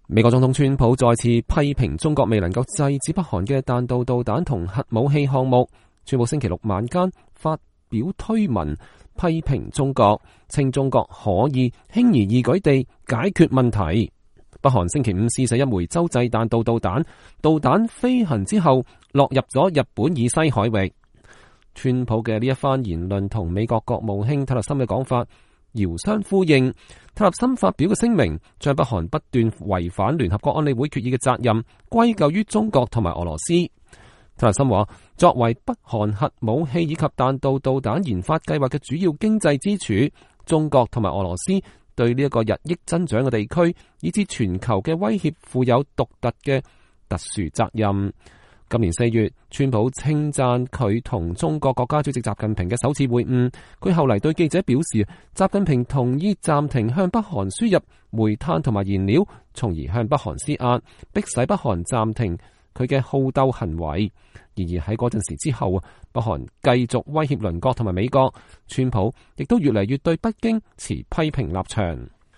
美國總統川普再次批評中國未能夠制止北韓嘅彈道導彈同核武器項目。川普星期六晚間發表推文批評中國，稱中國可以輕而易舉地解決問題。北韓星期五試射一枚洲際彈道導彈，導彈飛行之後落入咗日本以西海域。川普嘅呢一番言論同美國國務卿蒂勒森嘅講法遙相呼應。蒂勒森發表嘅聲明將北韓不斷違反聯合國安理會決議嘅責任歸咎於中國同埋俄羅斯。蒂勒森話，作為北韓核武器以及彈道導彈研發計劃嘅主要經濟支柱，中國同埋俄羅斯對呢一個日益增長嘅地區以至全球嘅威脅負有獨特嘅特殊責任。今年4月，川普稱讚佢同中國國家主席習近平嘅首次會晤。佢後嚟對記者表示，習近平同意暫停向北韓輸入煤炭同埋燃料，從而向北韓施壓，迫使北韓暫停佢嘅好鬥行為。然而喺嗰陣時之後，北韓繼續威脅鄰國同埋美國，川普亦都越嚟越對北京持批評立場。